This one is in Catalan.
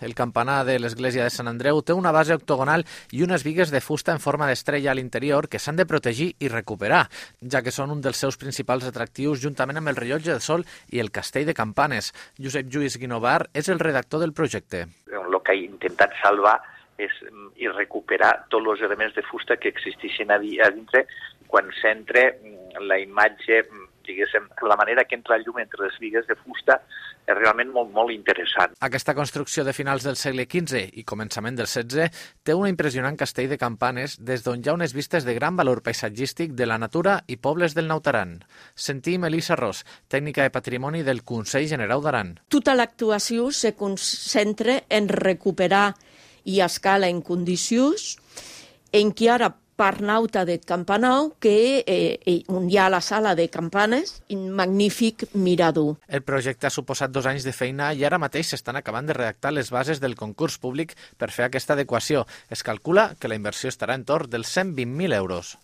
El campanar de l'església de Sant Andreu té una base octogonal i unes bigues de fusta en forma d'estrella a l'interior que s'han de protegir i recuperar, ja que són un dels seus principals atractius juntament amb el rellotge del sol i el castell de campanes. Josep Lluís Guinovar és el redactor del projecte. El que he intentat salvar és i recuperar tots els elements de fusta que existeixen a dintre quan s'entra la imatge, diguéssim, la manera que entra la llum entre les bigues de fusta és realment molt interessant. Aquesta construcció de finals del segle XV i començament del XVI té un impressionant castell de campanes des d'on hi ha unes vistes de gran valor paisatgístic de la natura i pobles del Naut Aran. Sentim Elisa Ros, tècnica de patrimoni del Consell Generau d'Aran. Tota l'actuació se concentra en recuperar i escala en condicions en què ara part nauta de Campanau, que on hi ha la sala de campanes, un magnífic mirador. El projecte ha suposat 2 anys de feina i ara mateix s'estan acabant de redactar les bases del concurs públic per fer aquesta adequació. Es calcula que la inversió estarà entorn dels 120.000 euros.